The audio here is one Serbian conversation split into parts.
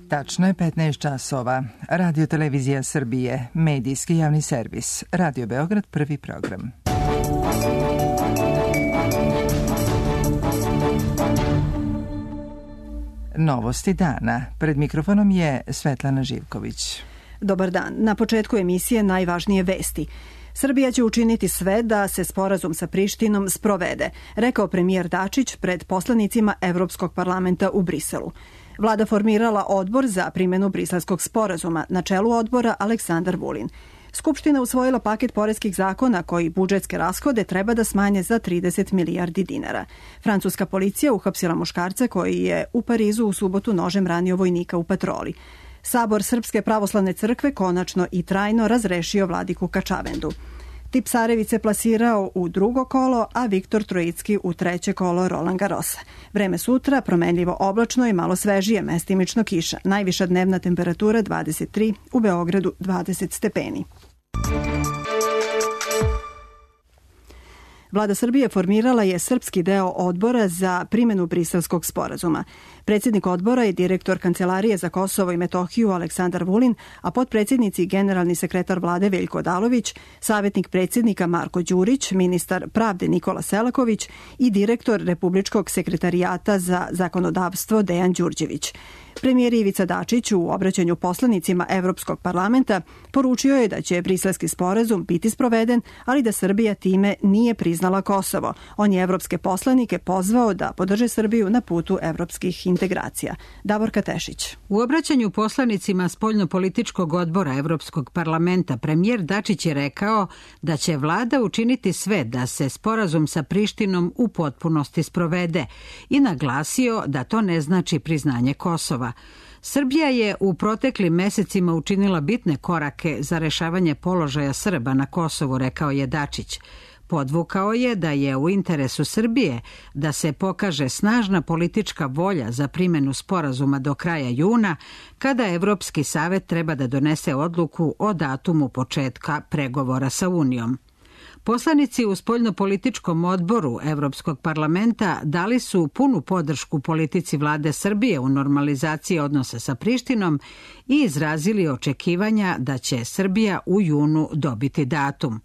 Tačno je 15 časova. Radio Televizija Srbije, medijski javni servis. Radio Beograd, prvi program. Novosti dana. Pred mikrofonom je Svetlana Živković. Dobar dan. Na početku emisije najvažnije vesti. Srbija će učiniti sve da se sporazum sa Prištinom sprovede, rekao premijer Dačić pred poslanicima Evropskog parlamenta u Briselu. Vlada formirala odbor za primjenu Briselskog sporazuma, na čelu odbora Aleksandar Vulin. Skupština usvojila paket poreskih zakona koji budžetske rashode treba da smanje za 30 milijardi dinara. Francuska policija uhapsila muškarca koji je u Parizu u subotu nožem ranio vojnika u patroli. Sabor Srpske pravoslavne crkve konačno i trajno razrešio vladiku Kačavendu. Tipsarević se plasirao u drugo kolo, a Viktor Trojicki u treće kolo Roland Garrosa. Vreme sutra promenljivo oblačno i malo svežije, mestimično kiša. Najviša dnevna temperatura 23, u Beogradu 20 stepeni. Vlada Srbije formirala je srpski deo odbora za primjenu Briselskog sporazuma. Predsjednik odbora je direktor Kancelarije za Kosovo i Metohiju Aleksandar Vulin, a potpredsjednici i generalni sekretar vlade Veljko Odalović, savjetnik predsjednika Marko Đurić, ministar pravde Nikola Selaković i direktor Republičkog sekretarijata za zakonodavstvo Dejan Đurđević. Premijer Ivica Dačić u obraćanju poslanicima Evropskog parlamenta poručio je da će briselski sporazum biti sproveden, ali da Srbija time nije priznala Kosovo. On je evropske poslanike pozvao da podrže Srbiju na putu evropskih integracija. Davorka Tešić. U obraćanju poslanicima spoljnopolitičkog odbora Evropskog parlamenta premijer Dačić je rekao da će vlada učiniti sve da se sporazum sa Prištinom u potpunosti sprovede i naglasio da to ne znači priznanje Kosova. Srbija je u proteklim mesecima učinila bitne korake za rešavanje položaja Srba na Kosovu, rekao je Dačić. Podvukao je da je u interesu Srbije da se pokaže snažna politička volja za primjenu sporazuma do kraja juna, kada Evropski savet treba da donese odluku o datumu početka pregovora sa Unijom. Poslanici u spoljnopolitičkom odboru Evropskog parlamenta dali su punu podršku politici vlade Srbije u normalizaciji odnosa sa Prištinom i izrazili očekivanja da će Srbija u junu dobiti datum.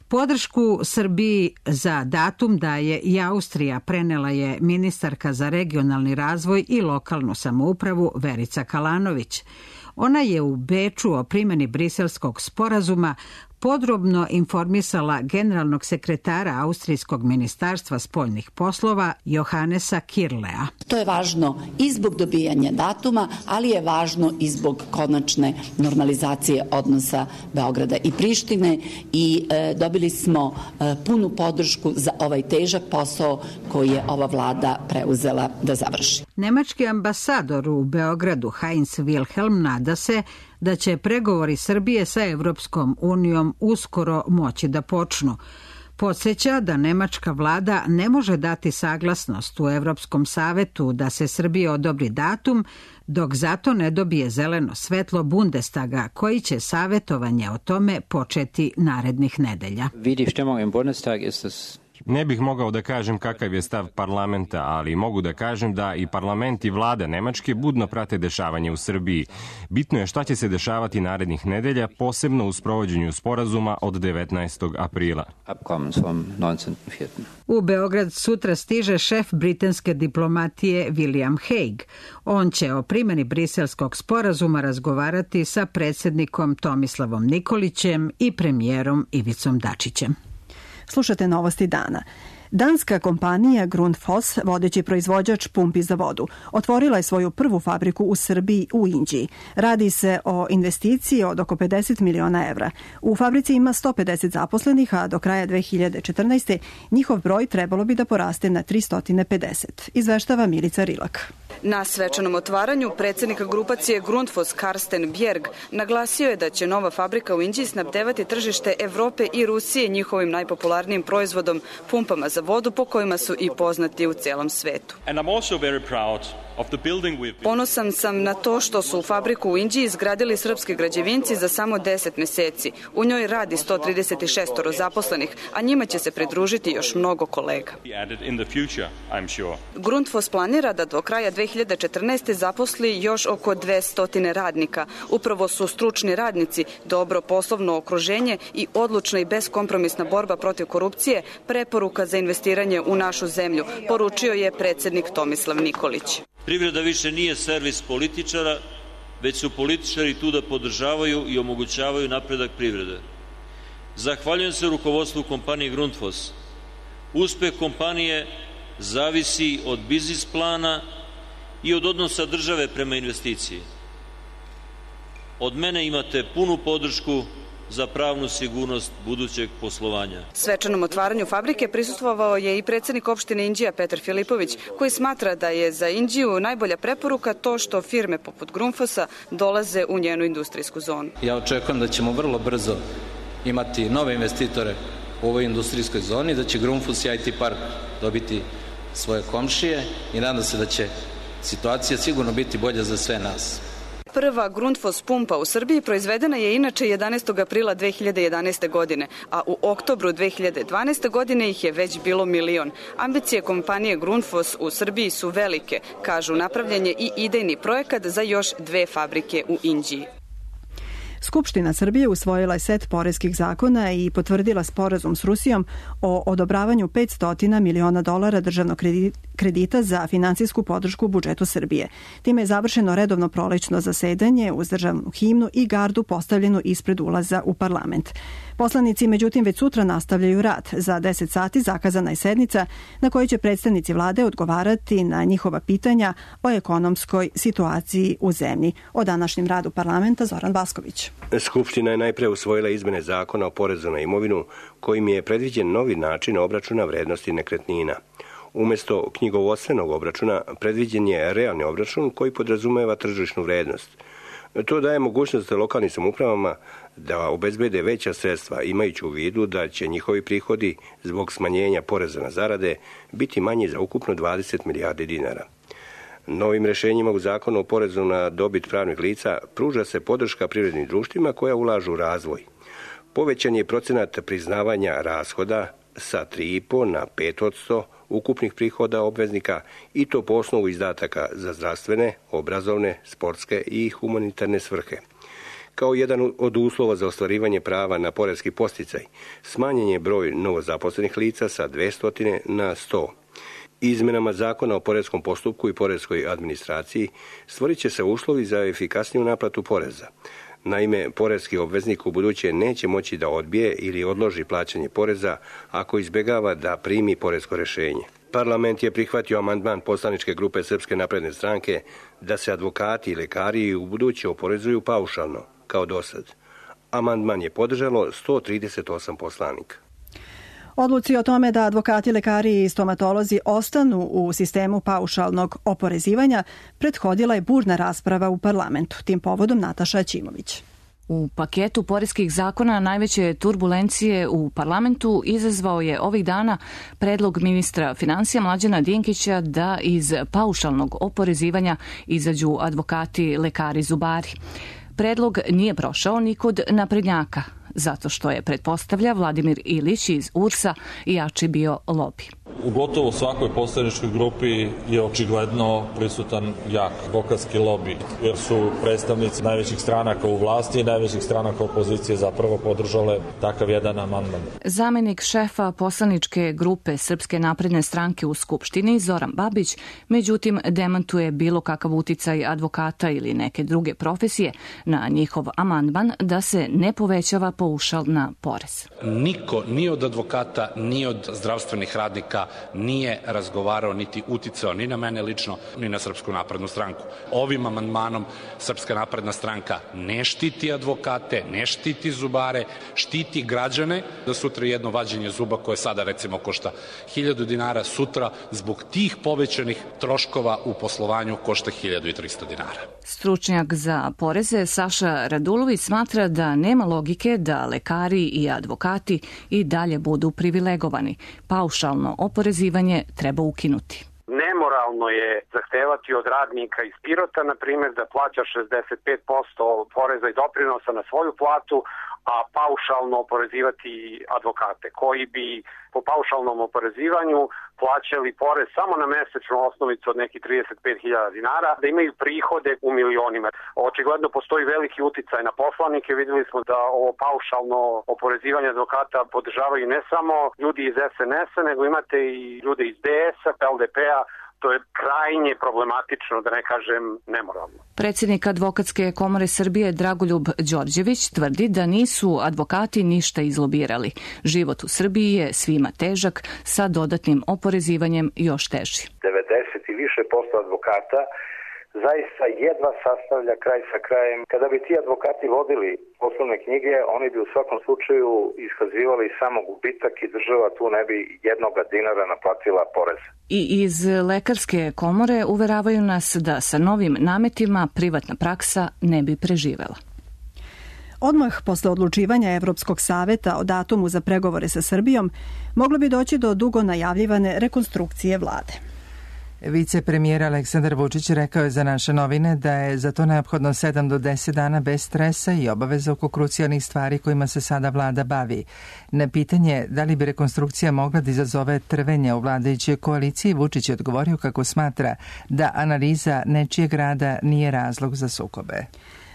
Podršku Srbiji za datum daje i Austrija, prenela je ministarka za regionalni razvoj i lokalnu samoupravu Verica Kalanović. Ona je u Beču o primjeni Briselskog sporazuma podrobno informisala generalnog sekretara Austrijskog ministarstva spoljnih poslova Johannesa Kirlea. To je važno i zbog dobijanja datuma, ali je važno i zbog konačne normalizacije odnosa Beograda i Prištine i dobili smo punu podršku za ovaj težak posao koji je ova vlada preuzela da završi. Nemački ambasador u Beogradu Heinz Wilhelm nada se da će pregovori Srbije sa Evropskom unijom uskoro moći da počnu. Podsjeća da nemačka vlada ne može dati saglasnost u Evropskom savetu da se Srbije odobri datum, dok zato ne dobije zeleno svetlo Bundestaga, koji će savjetovanje o tome početi narednih nedelja. Ne bih mogao da kažem kakav je stav parlamenta, ali mogu da kažem da i parlament i vlada Nemačke budno prate dešavanje u Srbiji. Bitno je šta će se dešavati narednih nedelja, posebno u sprovođenju sporazuma od 19. aprila. U Beograd sutra stiže šef britanske diplomatije William Hague. On će o primjeni Briselskog sporazuma razgovarati sa predsjednikom Tomislavom Nikolićem i premijerom Ivicom Dačićem. Slušate novosti dana. Danska kompanija Grundfos, vodeći proizvođač pumpi za vodu, otvorila je svoju prvu fabriku u Srbiji u Inđiji. Radi se o investiciji od oko 50 miliona evra. U fabrici ima 150 zaposlenih, a do kraja 2014. njihov broj trebalo bi da poraste na 350. Izveštava Milica Rilak. Na svečanom otvaranju predsjednik grupacije Grundfos Karsten Bjerg naglasio je da će nova fabrika u Inđiji snabdevati tržište Evrope i Rusije njihovim najpopularnijim proizvodom, pumpama za vodu, po kojima su i poznati u celom svetu. And I'm also very proud Ponosan sam na to što su fabriku u Inđiji izgradili srpski građevinci za samo 10 meseci. U njoj radi 136 zaposlenih, a njima će se pridružiti još mnogo kolega. Grundfos planira da do kraja 2014. zaposli još oko 200 radnika. Upravo su stručni radnici, dobro poslovno okruženje i odlučna i beskompromisna borba protiv korupcije preporuka za investiranje u našu zemlju, poručio je predsednik Tomislav Nikolić. Privreda više nije servis političara, već su političari tu da podržavaju i omogućavaju napredak privrede. Zahvaljujem se rukovodstvu kompanije Grundfos. Uspeh kompanije zavisi od biznis plana i od odnosa države prema investiciji. Od mene imate punu podršku za pravnu sigurnost budućeg poslovanja. Svečanom otvaranju fabrike prisustvovao je i predsednik opštine Inđija Petar Filipović, koji smatra da je za Inđiju najbolja preporuka to što firme poput Grundfosa dolaze u njenu industrijsku zonu. Ja očekujem da ćemo vrlo brzo imati nove investitore u ovoj industrijskoj zoni, da će Grundfos i IT park dobiti svoje komšije i nadam se da će situacija sigurno biti bolja za sve nas. Prva Grundfos pumpa u Srbiji proizvedena je inače 11. aprila 2011. godine, a u oktobru 2012. godine ih je već bilo 1.000.000. Ambicije kompanije Grundfos u Srbiji su velike, kažu napravljen je i idejni projekat za još 2 fabrike u Inđiji. Skupština Srbije usvojila je set poreskih zakona i potvrdila sporazum s Rusijom o odobravanju $500 miliona državnog kredita za finansijsku podršku budžetu Srbije. Time je završeno redovno prolećno zasedanje uz državnu himnu i gardu postavljenu ispred ulaza u parlament. Poslanici, međutim, već sutra nastavljaju rad. Za 10 sati zakazana je sednica na kojoj će predstavnici vlade odgovarati na njihova pitanja o ekonomskoj situaciji u zemlji. O današnjem radu parlamenta Zoran Basković. Skupština je najpre usvojila izmene zakona o porezu na imovinu, kojim je predviđen novi način obračuna vrednosti nekretnina. Umesto knjigovodstvenog obračuna predviđen je realni obračun koji podrazumeva tržišnu vrednost. To daje mogućnost lokalnim samoupravama da obezbede veća sredstva, imajući u vidu da će njihovi prihodi zbog smanjenja poreza na zarade biti manji za ukupno 20 milijardi dinara. Novim rešenjima u zakonu o porezu na dobit pravnih lica pruža se podrška privrednim društvima koja ulažu u razvoj. Povećan je procenat priznavanja rashoda sa 3,5 na 5% ukupnih prihoda obveznika i to po osnovu izdataka za zdravstvene, obrazovne, sportske i humanitarne svrhe. Kao jedan od uslova za ostvarivanje prava na poreski podsticaj, smanjen je broj novozaposlenih lica sa 200 na 100. Izmenama zakona o poreskom postupku i poreskoj administraciji stvorit će se uslovi za efikasniju naplatu poreza. Naime, poreski obveznik u buduće neće moći da odbije ili odloži plaćanje poreza ako izbegava da primi poresko rešenje. Parlament je prihvatio amandman poslaničke grupe Srpske napredne stranke da se advokati i lekari u buduće oporezuju paušalno, kao dosad. Amandman je podržalo 138 poslanika. Odluci o tome da advokati, lekari i stomatolozi ostanu u sistemu paušalnog oporezivanja prethodila je burna rasprava u parlamentu. Tim povodom Nataša Aćimović. U paketu poreskih zakona najveće turbulencije u parlamentu izazvao je ovih dana predlog ministra finansija Mlađana Dinkića da iz paušalnog oporezivanja izađu advokati, lekari, zubari. Predlog nije prošao ni kod naprednjaka, zato što je, pretpostavlja Vladimir Ilić iz URS-a, jači bio lobi. U gotovo svakoj poslaničkoj grupi je očigledno prisutan jak advokatski lobi, jer su predstavnici najvećih stranaka u vlasti i najvećih stranaka opozicije zapravo podržale takav jedan amandman. Zamenik šefa poslaničke grupe Srpske napredne stranke u Skupštini, Zoran Babić, međutim demantuje bilo kakav uticaj advokata ili neke druge profesije na njihov amandman da se ne povećava paušal na porez. Niko, ni od advokata, ni od zdravstvenih radnika nije razgovarao niti uticao ni na mene lično, ni na Srpsku naprednu stranku. Ovim amandmanom Srpska napredna stranka ne štiti advokate, ne štiti zubare, štiti građane, da sutra jedno vađenje zuba koje sada recimo košta 1.000 dinara, sutra zbog tih povećanih troškova u poslovanju košta 1.300 dinara. Stručnjak za poreze Saša Radulović smatra da nema logike da lekari i advokati i dalje budu privilegovani. Paušalno oporezivanje treba ukinuti. Nema Nemoralno je zahtevati od radnika iz Pirota, na primjer, da plaća 65% poreza i doprinosa na svoju platu, a paušalno oporezivati advokate koji bi po paušalnom oporezivanju plaćali porez samo na mesečnu osnovicu od nekih 35.000 dinara, da imaju prihode u milionima. Očigledno postoji veliki uticaj na poslanike. Vidjeli smo da ovo paušalno oporezivanje advokata podržavaju ne samo ljudi iz SNS-a, nego imate i ljude iz DS-a, LDP-a. To je krajnje problematično, da ne kažem nemoralno. Predsjednik Advokatske komore Srbije Dragoljub Đorđević tvrdi da nisu advokati ništa izlobirali. Život u Srbiji je svima težak, sa dodatnim oporezivanjem još teži. 90 i više posto advokata zaista jedva sastavlja kraj sa krajem. Kada bi ti advokati vodili poslovne knjige, oni bi u svakom slučaju iskazivali samo gubitak i država tu ne bi jednoga dinara naplatila porez. I iz Lekarske komore uveravaju nas da sa novim nametima privatna praksa ne bi preživela. Odmah posle odlučivanja Evropskog saveta o datumu za pregovore sa Srbijom, moglo bi doći do dugo najavljivane rekonstrukcije vlade. Vicepremijer Aleksandar Vučić rekao je za naše novine da je za to neophodno 7 do 10 dana bez stresa i obaveza oko krucijalnih stvari kojima se sada vlada bavi. Na pitanje da li bi rekonstrukcija mogla da izazove trvenja u vladajućoj koaliciji, Vučić je odgovorio kako smatra da analiza nečijeg rada nije razlog za sukobe.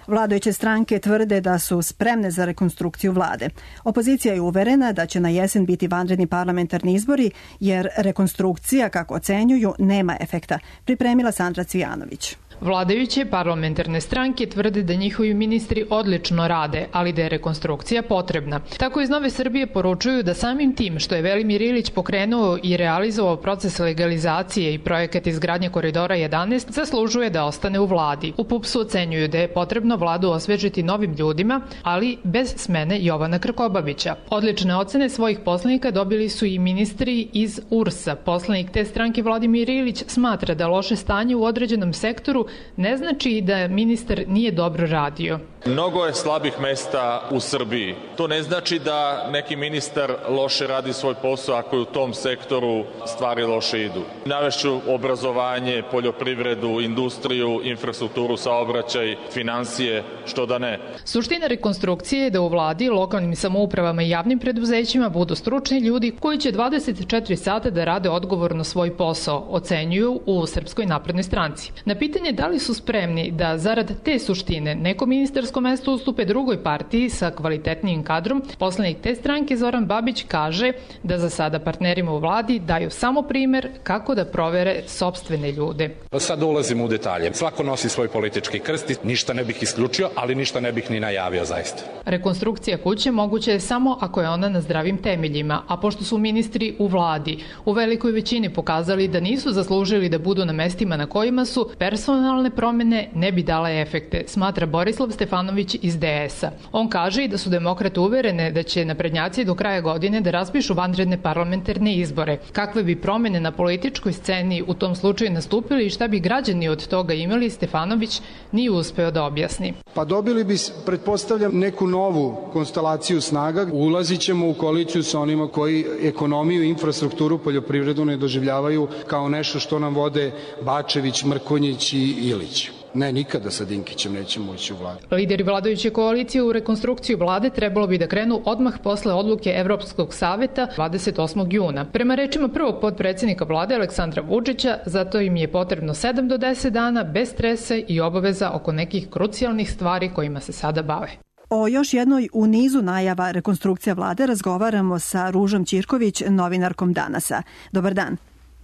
Vladajuće stranke tvrde da su spremne za rekonstrukciju vlade. Opozicija je uverena da će na jesen biti vanredni parlamentarni izbori, jer rekonstrukcija, kako ocenjuju, nema efekta. Pripremila Sandra Cvijanović. Vladajuće parlamentarne stranke tvrde da njihovi ministri odlično rade, ali da je rekonstrukcija potrebna. Tako iz Nove Srbije poručuju da samim tim što je Velimir Ilić pokrenuo i realizovao proces legalizacije i projekat izgradnje koridora 11, zaslužuje da ostane u vladi. U PUPS-u ocenjuju da je potrebno vladu osvežiti novim ljudima, ali bez smene Jovana Krkobabića. Odlične ocene svojih poslanika dobili su i ministri iz URS-a. Poslanik te stranke Vladimir Ilić smatra da loše stanje u određenom sektoru ne znači da ministar nije dobro radio. Mnogo je slabih mesta u Srbiji. To ne znači da neki ministar loše radi svoj posao ako je u tom sektoru stvari loše idu. Navešću obrazovanje, poljoprivredu, industriju, infrastrukturu, saobraćaj, financije, što da ne. Suština rekonstrukcije je da u vladi, lokalnim samoupravama i javnim preduzećima budu stručni ljudi koji će 24 sata da rade odgovorno svoj posao, ocenjuju u Srpskoj naprednoj stranci. Na pitanje da li su spremni da zarad te suštine neko ministarsko mesto ustupe drugoj partiji sa kvalitetnijim kadrom, poslanik te stranke Zoran Babić kaže da za sada partnerima u vladi daju samo primer kako da provere sopstvene ljude. Sad ulazimo u detalje. Svako nosi svoj politički krst, ništa ne bih isključio, ali ništa ne bih ni najavio zaista. Rekonstrukcija kuće moguće je samo ako je ona na zdravim temeljima, a pošto su ministri u vladi u velikoj većini pokazali da nisu zaslužili da budu na mestima na kojima su, personalne promene ne bi dale efekte, smatra Borislav Stefanović iz DS-a. On kaže i da su demokrate uverene da će naprednjaci do kraja godine da raspišu vanredne parlamentarne izbore. Kakve bi promene na političkoj sceni u tom slučaju nastupili i šta bi građani od toga imali, Stefanović nije uspeo da objasni. Pa dobili bi, pretpostavljam, neku novu konstelaciju snaga. Ulazit ćemo u koaliciju sa onima koji ekonomiju i infrastrukturu, poljoprivredu ne doživljavaju kao nešto što nam vode Bačević, Mrkonjić i Ilić. Ne, nikada sa Dinkićem nećemo ući u vladu. Lideri vladajuće koalicije u rekonstrukciju vlade trebalo bi da krenu odmah posle odluke Evropskog saveta 28. juna. Prema rečima prvog potpredsjednika vlade Aleksandra Vučića, zato im je potrebno 7 do 10 dana bez stresa i obaveza oko nekih krucijalnih stvari kojima se sada bave. O još jednoj u nizu najava rekonstrukcija vlade razgovaramo sa Ružom Ćirković, novinarkom Danasa. Dobar dan.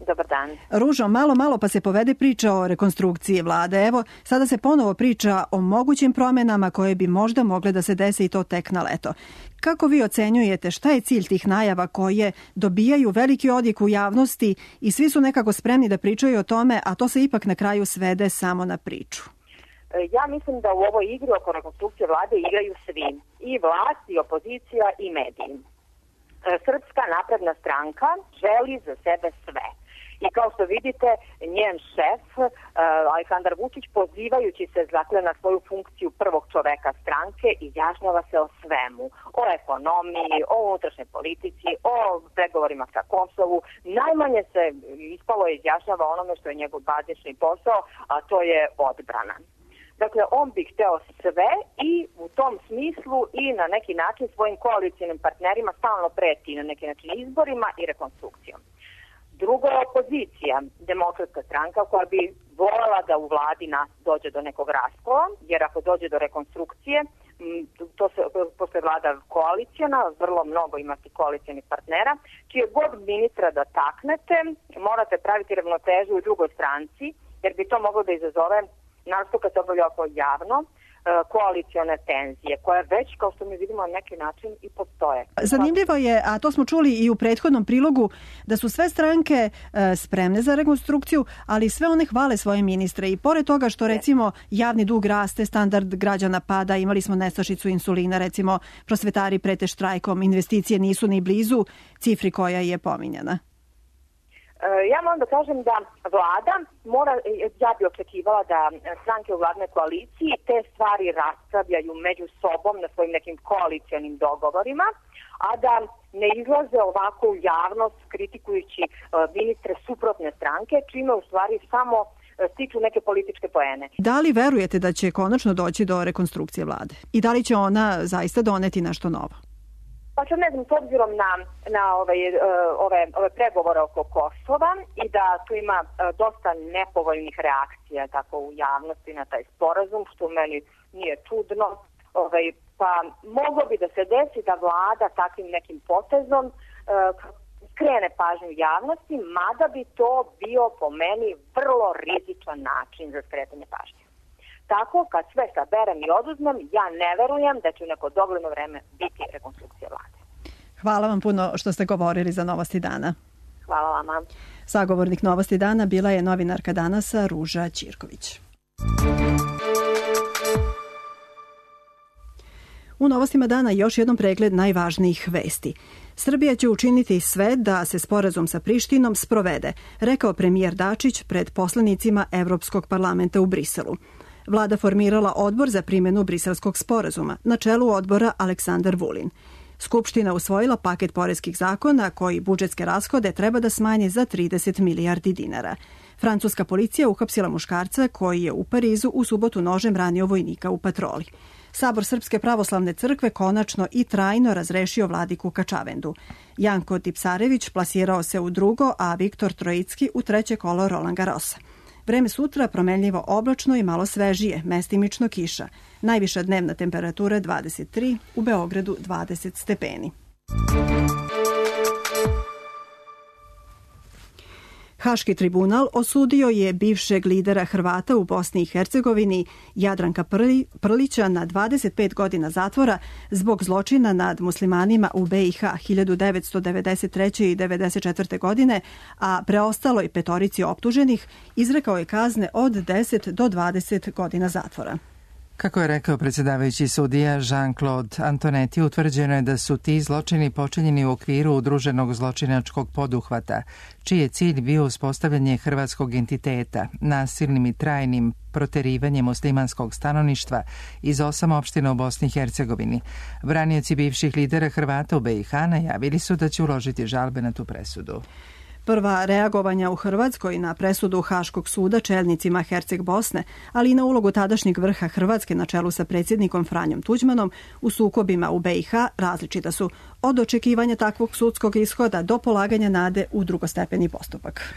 Dobar dan. Ružo, malo pa se povede priča o rekonstrukciji vlade. Evo, sada se ponovo priča o mogućim promenama koje bi možda mogle da se dese i to tek na leto. Kako vi ocenjujete šta je cilj tih najava koje dobijaju veliki odjek u javnosti i svi su nekako spremni da pričaju o tome, a to se ipak na kraju svede samo na priču? Ja mislim da u ovoj igri oko rekonstrukcije vlade igraju svi. I vlast, i opozicija, i mediji. Srpska napredna stranka želi za sebe sve. I kao što vidite, njen šef, Aleksandar Vučić, pozivajući se na svoju funkciju prvog čoveka stranke, izjašnjava se o svemu. O ekonomiji, o unutrašnjoj politici, o pregovorima sa Kosovu. Najmanje se ispalo izjašnjava onome što je njegov bazični posao, a to je odbrana. Dakle, on bi hteo sve i u tom smislu i na neki način svojim koalicijnim partnerima stalno preti na neki način izborima i rekonstrukcijom. Drugo je opozicija, Demokratska stranka, koja bi voljela da u vladi dođe do nekog raskola, jer ako dođe do rekonstrukcije, pošto je vlada koalicijana, vrlo mnogo imati koalicijanih partnera, čije god ministra da taknete, morate praviti ravnotežu u drugoj stranci, jer bi to moglo da izazove, naravno kad se obavlja oko javno, koalicione tenzije, koje već, kao što mi vidimo, na neki način i postoje. Zanimljivo je, a to smo čuli i u prethodnom prilogu, da su sve stranke spremne za rekonstrukciju, ali sve one hvale svoje ministre i pored toga što recimo javni dug raste, standard građana pada, imali smo nestašicu insulina, recimo prosvetari prete štrajkom, investicije nisu ni blizu cifri koja je pominjana. Ja moram da kažem da vlada ja bi očekivala da stranke u vladnoj koaliciji te stvari raspravljaju među sobom na svojim nekim koalicijonim dogovorima, a da ne izlaze ovako u javnost kritikujući ministre suprotne stranke, čime u stvari samo stiču neke političke poene. Da li verujete da će konačno doći do rekonstrukcije vlade? I da li će ona zaista doneti nešto novo? Pa sad ne znam, s obzirom na ove pregovore oko Kosova i da tu ima dosta nepovoljnih reakcija tako u javnosti na taj sporazum, što meni nije čudno, pa moglo bi da se desi da vlada takvim nekim potezom skrene pažnju javnosti, mada bi to bio po meni vrlo rizičan način za skretanje pažnje. Tako, kad sve saberem i oduzmem, ja ne verujem da će u neko dogledno vreme biti rekonstrukcija vlade. Hvala vam puno što ste govorili za Novosti dana. Hvala vama. Sagovornik Novosti dana bila je novinarka Danasa Ruža Ćirković. U Novostima dana još jednom pregled najvažnijih vesti. Srbija će učiniti sve da se sporazum sa Prištinom sprovede, rekao premijer Dačić pred poslanicima Evropskog parlamenta u Briselu. Vlada formirala odbor za primjenu briselskog sporazuma, na čelu odbora Aleksandar Vulin. Skupština usvojila paket poreskih zakona koji budžetske rashode treba da smanji za 30 milijardi dinara. Francuska policija uhapsila muškarca koji je u Parizu u subotu nožem ranio vojnika u patroli. Sabor Srpske pravoslavne crkve konačno i trajno razrešio vladiku Kačavendu. Janko Tipsarević plasirao se u drugo, a Viktor Trojicki u treće kolo Roland Garrosa. Vreme sutra promenljivo oblačno i malo svežije, mestimično kiša. Najviša dnevna temperatura 23, u Beogradu 20 stepeni. Haški tribunal osudio je bivšeg lidera Hrvata u Bosni i Hercegovini Jadranka Prlića na 25 godina zatvora zbog zločina nad muslimanima u BiH 1993. i 1994. godine, a preostaloj petorici optuženih izrekao je kazne od 10 do 20 godina zatvora. Kako je rekao predsjedavajući sudija Jean-Claude Antonetti, utvrđeno je da su ti zločini počinjeni u okviru udruženog zločinačkog poduhvata, čiji je cilj bio uspostavljanje hrvatskog entiteta, nasilnim i trajnim proterivanjem muslimanskog stanovništva iz 8 opština u Bosni i Hercegovini. Branioci bivših lidera Hrvata u BiH najavili su da će uložiti žalbe na tu presudu. Prva reagovanja u Hrvatskoj na presudu Haškog suda čelnicima Herceg Bosne, ali i na ulogu tadašnjeg vrha Hrvatske na čelu sa predsjednikom Franjom Tuđmanom u sukobima u BiH različita su, od očekivanja takvog sudskog ishoda do polaganja nade u drugostepeni postupak.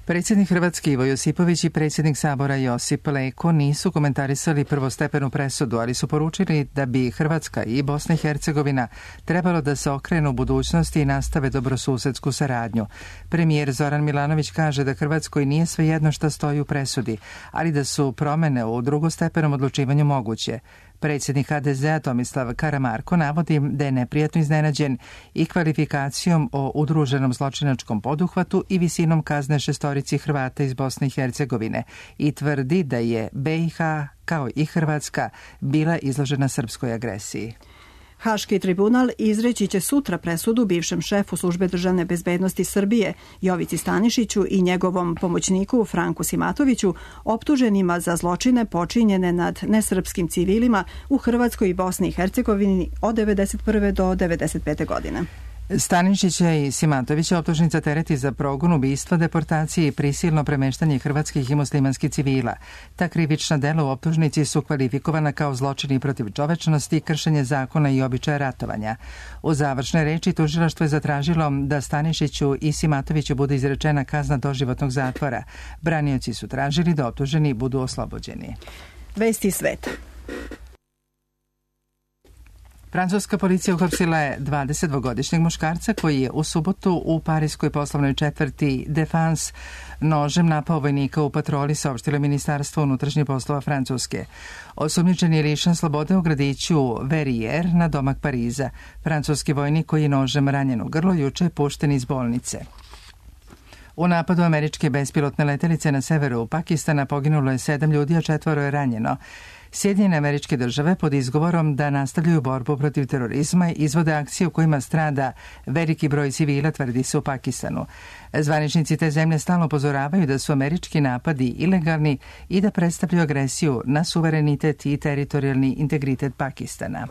Predsjednik Hrvatske Ivo Josipović i predsjednik Sabora Josip Leko nisu komentarisali prvostepenu presudu, ali su poručili da bi Hrvatska i Bosna i Hercegovina trebalo da se okrenu u budućnosti i nastave dobrosusedsku saradnju. Premijer Zoran Milanović kaže da Hrvatskoj nije svejedno šta stoji u presudi, ali da su promene u drugostepenom odlučivanju moguće. Predsjednik HDZ-a Tomislav Karamarko navodi da je neprijatno iznenađen i kvalifikacijom o udruženom zločinačkom poduhvatu i visinom kazne šestorici Hrvata iz Bosne i Hercegovine i tvrdi da je BiH, kao i Hrvatska, bila izložena srpskoj agresiji. Haški tribunal izreći će sutra presudu bivšem šefu Službe državne bezbednosti Srbije Jovici Stanišiću i njegovom pomoćniku Franku Simatoviću, optuženima za zločine počinjene nad nesrpskim civilima u Hrvatskoj i Bosni i Hercegovini od 1991. do 1995. godine. Stanišića i Simatovića optužnica tereti za progon, ubistva, deportacije i prisilno premeštanje hrvatskih i muslimanskih civila. Ta krivična dela u optužnici su kvalifikovana kao zločini protiv čovečnosti, kršenje zakona i običaja ratovanja. U završnoj reči tužilaštvo je zatražilo da Stanišiću i Simatoviću bude izrečena kazna doživotnog zatvora. Branioci su tražili da optuženi budu oslobođeni. Vesti sveta. Francuska policija uhapsila je 22-godišnjeg muškarca koji je u subotu u parijskoj poslovnoj četvrti Défense nožem napao vojnika u patroli, saopštilo Ministarstvo unutrašnjih poslova Francuske. Osumnjičen je lišen slobode u gradiću Verrières na domak Pariza. Francuski vojnik koji je nožem ranjen u grlo juče je pušten iz bolnice. U napadu američke bespilotne letelice na severu Pakistana poginulo je 7 ljudi, a 4 je ranjeno. Sjedinjene Američke Države pod izgovorom da nastavljaju borbu protiv terorizma izvode akcije u kojima strada veliki broj civila, tvrdi se u Pakistanu. Zvaničnici te zemlje stalno upozoravaju da su američki napadi ilegalni i da predstavljaju agresiju na suverenitet i teritorijalni integritet Pakistana.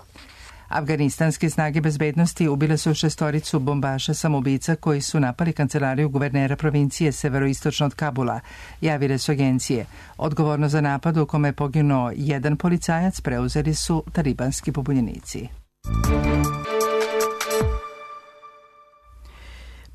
Afganistanske snage bezbednosti ubile su 6 bombaša samoubica koji su napali kancelariju guvernera provincije severoistočno od Kabula, javile su agencije. Odgovorno za napad u kome je poginuo 1 policajac preuzeli su talibanski pobunjenici.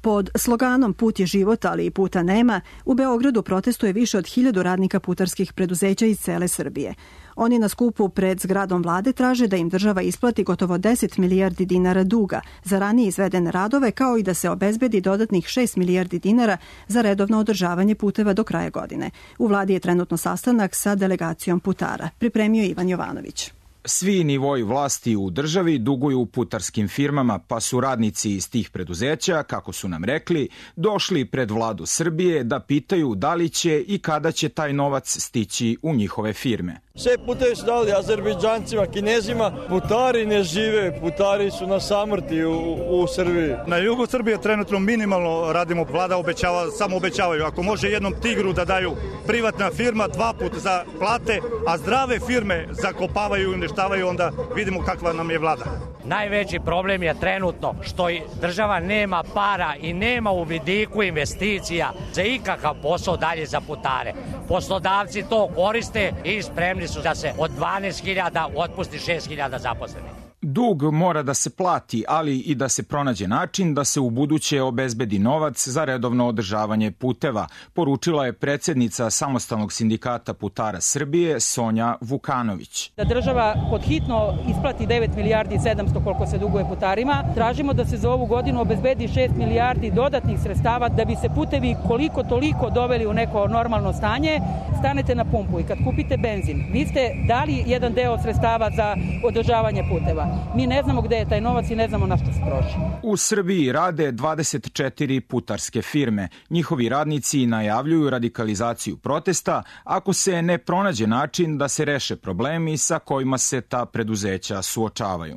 Pod sloganom Put je život, ali i puta nema, u Beogradu protestuje više od 1000 radnika putarskih preduzeća iz cele Srbije. Oni na skupu pred zgradom vlade traže da im država isplati gotovo 10 milijardi dinara duga za ranije izvedene radove, kao i da se obezbedi dodatnih 6 milijardi dinara za redovno održavanje puteva do kraja godine. U vladi je trenutno sastanak sa delegacijom putara. Pripremio Ivan Jovanović. Svi nivoji vlasti u državi duguju putarskim firmama, pa su radnici iz tih preduzeća, kako su nam rekli, došli pred vladu Srbije da pitaju da li će i kada će taj novac stići u njihove firme. Sve putevi su dali Azerbejdžancima, Kinezima, putari ne žive, putari su na samrti u Srbiji. Na jugu Srbije trenutno minimalno radimo, vlada obećava, samo obećavaju. Ako može jednom Tigru da daju privatna firma 2 puta za plate, a zdrave firme zakopavaju i uništavaju, onda vidimo kakva nam je vlada. Najveći problem je trenutno što država nema para i nema u vidiku investicija za ikakav posao dalje za putare. Poslodavci to koriste i spremni su da se od 12.000 otpusti 6.000 zaposlenih. Dug mora da se plati, ali i da se pronađe način da se u buduće obezbedi novac za redovno održavanje puteva, poručila je predsjednica Samostalnog sindikata putara Srbije Sonja Vukanović. Da država podhitno isplati 9 milijardi 700 koliko se duguje putarima. Tražimo da se za ovu godinu obezbedi 6 milijardi dodatnih sredstava da bi se putevi koliko toliko doveli u neko normalno stanje. Stanete na pumpu i kad kupite benzin, vi ste dali jedan deo sredstava za održavanje puteva. Mi ne znamo gde je taj novac i ne znamo na što se troši. U Srbiji rade 24 putarske firme. Njihovi radnici najavljuju radikalizaciju protesta ako se ne pronađe način da se reše problemi sa kojima se ta preduzeća suočavaju.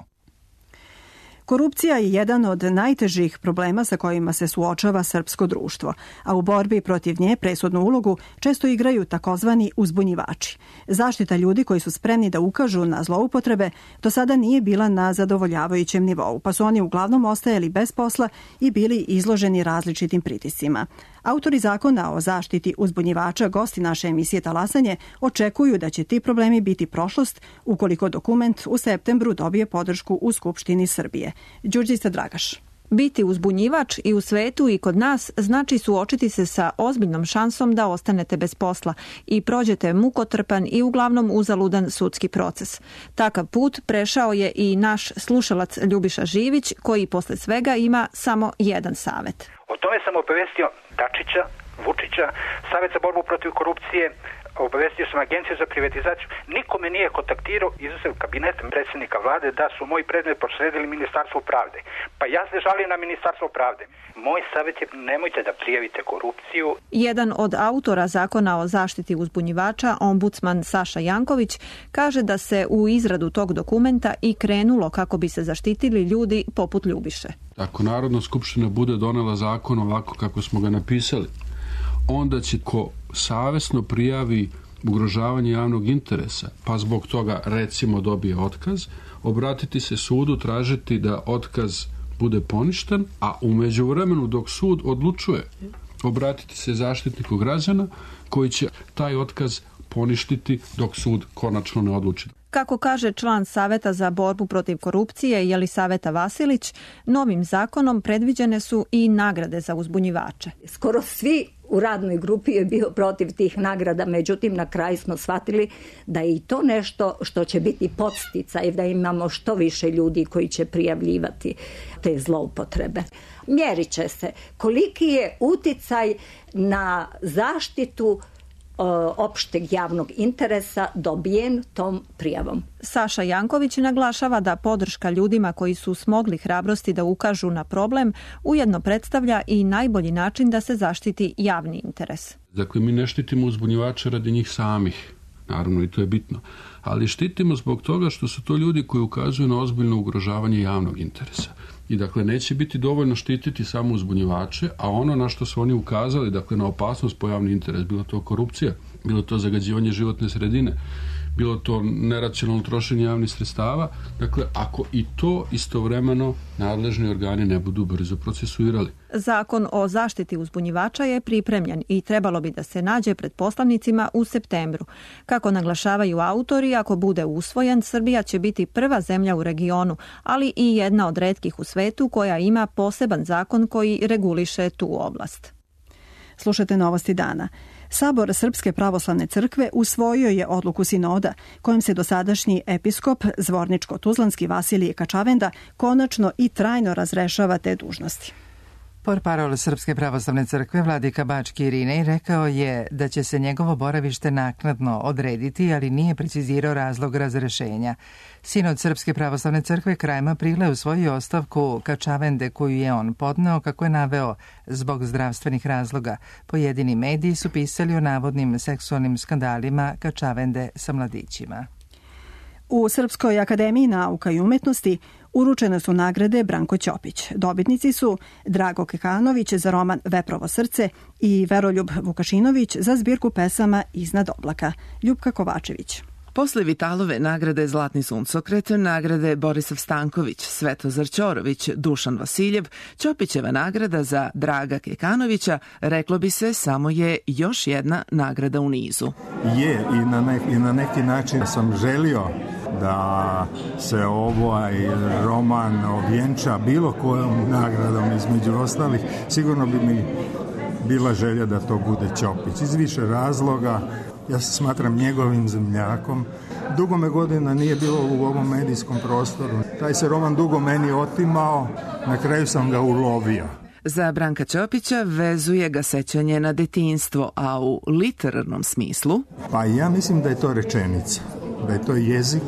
Korupcija je jedan od najtežih problema sa kojima se suočava srpsko društvo, a u borbi protiv nje presudnu ulogu često igraju takozvani uzbunjivači. Zaštita ljudi koji su spremni da ukažu na zloupotrebe do sada nije bila na zadovoljavajućem nivou, pa su oni uglavnom ostajali bez posla i bili izloženi različitim pritiscima. Autori zakona o zaštiti uzbunjivača, gosti naše emisije Talasanje, očekuju da će ti problemi biti prošlost ukoliko dokument u septembru dobije podršku u Skupštini Srbije. Đurđica Dragaš. Biti uzbunjivač i u svetu i kod nas znači suočiti se sa ozbiljnom šansom da ostanete bez posla i prođete mukotrpan i uglavnom uzaludan sudski proces. Takav put prešao je i naš slušalac Ljubiša Živić, koji posle svega ima samo jedan savet. O tome sam obavestio Dačića, Vučića, Savet za borbu protiv korupcije, obavestio sam Agenciju za privatizaciju, nikome nije kontaktirao izuzev kabinetom predsjednika vlade da su moji predmet prosledili Ministarstvo pravde. Pa ja se žalim na Ministarstvo pravde. Moj savjet je nemojte da prijavite korupciju. Jedan od autora zakona o zaštiti uzbunjivača, ombudsman Saša Janković, kaže da se u izradu tog dokumenta i krenulo kako bi se zaštitili ljudi poput Ljubiše. Ako Narodna skupština bude donela zakon ovako kako smo ga napisali, onda će ko savesno prijavi ugrožavanje javnog interesa, pa zbog toga recimo dobije otkaz, obratiti se sudu, tražiti da otkaz bude poništen, a u međuvremenu dok sud odlučuje, obratiti se Zaštitniku građana koji će taj otkaz poništiti dok sud konačno ne odluči. Kako kaže član Saveta za borbu protiv korupcije Jelisaveta Vasilić, novim zakonom predviđene su i nagrade za uzbunjivače. Skoro svi u radnoj grupi je bio protiv tih nagrada, međutim na kraju smo shvatili da je i to nešto što će biti podsticaj, da imamo što više ljudi koji će prijavljivati te zloupotrebe. Mjerit će se koliki je uticaj na zaštitu opšteg javnog interesa dobijen tom prijavom. Saša Janković naglašava da podrška ljudima koji su smogli hrabrosti da ukažu na problem ujedno predstavlja i najbolji način da se zaštiti javni interes. Dakle, mi ne štitimo uzbunjivače radi njih samih, naravno i to je bitno, ali štitimo zbog toga što su to ljudi koji ukazuju na ozbiljno ugrožavanje javnog interesa. I dakle, neće biti dovoljno štititi samo uzbunjivače, a ono na što su oni ukazali, dakle, na opasnost po javni interes, bilo to korupcija, bilo to zagađivanje životne sredine, bilo to neracionalno trošenje javnih sredstava, dakle, ako i to istovremeno nadležni organi ne budu brzo procesuirali. Zakon o zaštiti uzbunjivača je pripremljen i trebalo bi da se nađe pred poslanicima u septembru. Kako naglašavaju autori, ako bude usvojen, Srbija će biti prva zemlja u regionu, ali i jedna od retkih u svetu koja ima poseban zakon koji reguliše tu oblast. Slušajte novosti dana. Sabor Srpske pravoslavne crkve usvojio je odluku sinoda kojom se dosadašnji episkop Zvorničko-Tuzlanski Vasilije Kačavenda konačno i trajno razrešava te dužnosti. Portparol Srpske pravoslavne crkve Vladika Bački Irinej rekao je da će se njegovo boravište naknadno odrediti, ali nije precizirao razlog razrešenja. Sinod Srpske pravoslavne crkve krajem aprila usvojio ostavku Kačavende koju je on podneo, kako je naveo, zbog zdravstvenih razloga. Pojedini mediji su pisali o navodnim seksualnim skandalima Kačavende sa mladićima. U Srpskoj akademiji nauka i umetnosti uručene su nagrade Branko Ćopić. Dobitnici su Drago Kekanović za roman Veprovo srce i Veroljub Vukašinović za zbirku pesama Iznad oblaka. Ljupka Kovačević. Posle Vitalove nagrade Zlatni suncokret, nagrade Borisav Stanković, Svetozar Ćorović, Dušan Vasiljev, Ćopićeva nagrada za Draga Kekanovića, reklo bi se, samo je još jedna nagrada u nizu. Je, i na neki način sam želio da se ovaj roman ovjenča bilo kojom nagradom između ostalih. Sigurno bi mi bila želja da to bude Ćopić. Iz više razloga. Ja se smatram njegovim zemljakom. Dugo me godina nije bilo u ovom medijskom prostoru. Taj se roman dugo meni otimao, na kraju sam ga ulovio. Za Branka Ćopića vezuje ga sećanje na detinjstvo, a u literarnom smislu? Pa ja mislim da je to rečenica, da je to jezik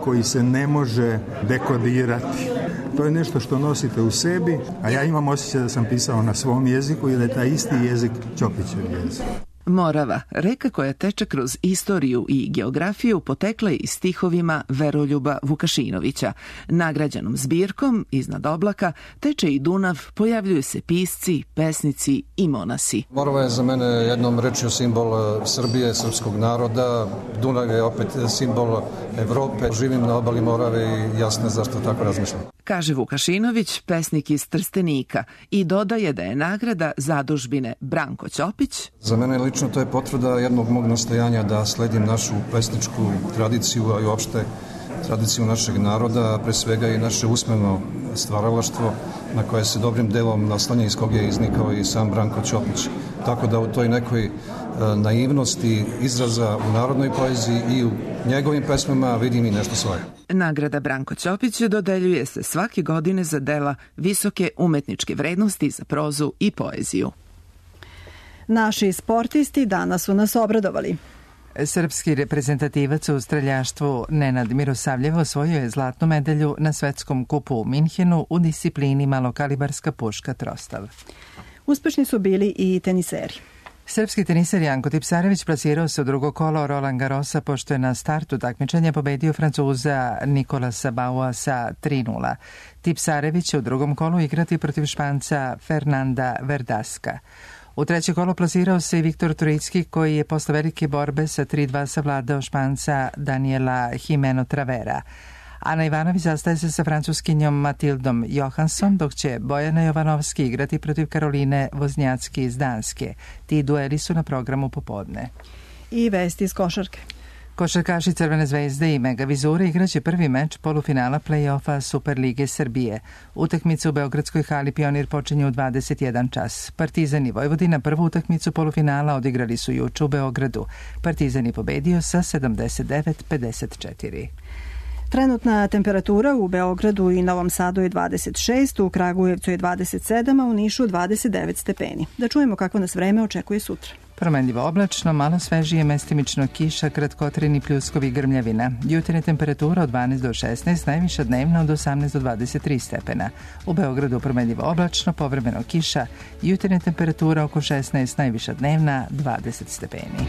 koji se ne može dekodirati. To je nešto što nosite u sebi, a ja imam osjećaj da sam pisao na svom jeziku i da je taj isti jezik Ćopićev jezik. Morava, reka koja teče kroz istoriju i geografiju, potekla je i stihovima Veroljuba Vukašinovića. Nagrađenom zbirkom Iznad oblaka teče i Dunav, pojavljuju se pisci, pesnici i monasi. Morava je za mene jednom rečju simbol Srbije, srpskog naroda. Dunav je opet simbol Evrope. Živim na obali Morave i jasno zašto tako razmišljam. Kaže Vukašinović, pesnik iz Trstenika, i dodaje da je nagrada zadužbine Branko Ćopić. Za mene lično to je potvrda jednog mog nastojanja da sledim našu pesničku tradiciju, a i uopšte tradiciju našeg naroda, pre svega i naše usmeno stvaralaštvo na koje se dobrim delom naslanja iz kog je iznikao i sam Branko Ćopić. Tako da u toj nekoj naivnosti izraza u narodnoj poeziji i u njegovim pesmama vidim i nešto svoje. Nagrada Branko Ćopić dodeljuje se svake godine za dela visoke umetničke vrednosti za prozu i poeziju. Naši sportisti danas su nas obradovali. Srpski reprezentativac u streljaštvu Nenad Mirosavljev osvojio je zlatnu medalju na svetskom kupu u Minhenu u disciplini malokalibarska puška trostav. Uspešni su bili i teniseri. Srpski teniser Janko Tipsarević plasirao se u drugo kolo Roland Garrosa pošto je na startu takmičenja pobedio Francuza Nikolasa Baua sa 3:0. Tipsarević će u drugom kolu igrati protiv Španca Fernanda Verdaska. U treće kolo plasirao se i Viktor Turicki koji je posle velike borbe sa 3:2 savladao Španca Daniela Jimeno Travera. Ana Ivanović zastaje se sa francuskinjom Matildom Johansson, dok će Bojana Jovanovski igrati protiv Karoline Voznjacki iz Danske. Ti dueli su na programu popodne. I vesti iz košarke. Košarkaši Crvene zvezde i Mega Vizure igraće prvi meč polufinala play-offa Superlige Srbije. Utakmica u Beogradskoj hali Pionir počinje u 21 čas. Partizan i Vojvodina prvu utakmicu polufinala odigrali su juče u Beogradu. Partizan je pobedio sa 79-54. Trenutna temperatura u Beogradu i Novom Sadu je 26, u Kragujevcu je 27, a u Nišu 29 stepeni. Da čujemo kako nas vreme očekuje sutra. Promenljivo oblačno, malo svežije, mestimično kiša, kratkotrajni pljuskovi, grmljavina. Jutarnja temperatura od 12 do 16, najviša dnevna od 18 do 23 stepena. U Beogradu promenljivo oblačno, povremeno kiša, jutarnja temperatura oko 16, najviša dnevna 20 stepeni.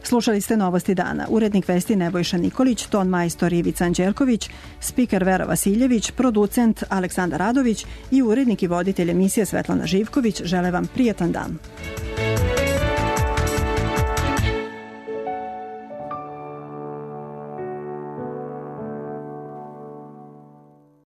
Slušali ste Novosti dana. Urednik vesti Nebojša Nikolić, ton majstor Ivica Anđelković, spiker Vera Vasiljević, producent Aleksandar Radović i urednik i voditelj emisije Svetlana Živković žele vam prijatan dan.